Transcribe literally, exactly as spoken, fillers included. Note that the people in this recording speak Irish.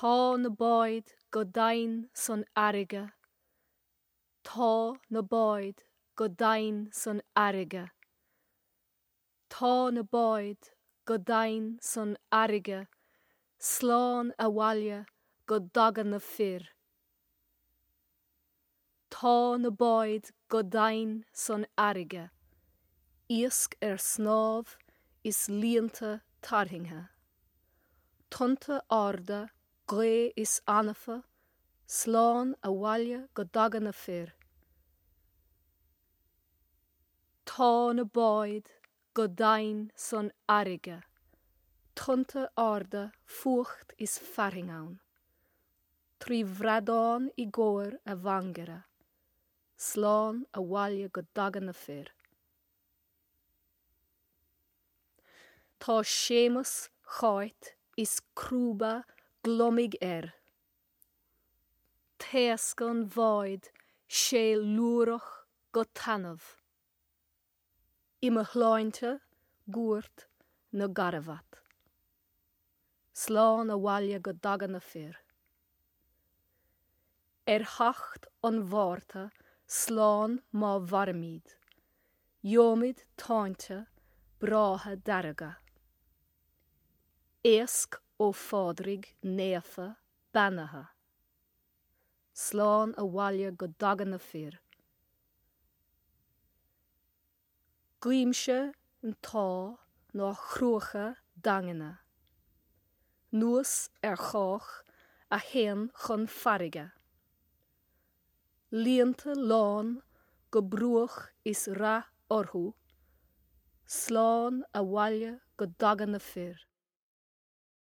Tá na báid go domhain san fharraige, Tá na báid go domhain san fharraige. Tá na báid go domhain san fharraige, slán abhaile go dtaga na fir. Tá na báid go domhain san fharraige, iasc ar snámh is líonta tarraingthe. Tonnta arda, gaoth is anfa, slán abhaile go dtaga na fir. Tá na báid go domhain san fharraige, tonnta arda, fuacht is fearthainn ann. Trí bhradán i gcomhair a mhangaire, slán abhaile go dtaga na fir. Tá Séamus Cháit is crúba gliomaigh air. Taoscán bháid sé lúrach go taitneamh. I mo shláinte gcuairt na gcarbhat. Slán abhaile go dtaga na fir. Ar theacht an Mhárta slán má mhairimid, gheobhaimid táinte breátha dearga. Éasc ó Phádraig naofa beannaithe. Slán abhaile go dtaga na fir. Guímse an t-ádh ná cruacha daingne. Nuas ar chách a théann chun farraige. Líonta lán go bruach is rath orthu, slán abhaile go dtaga na fir.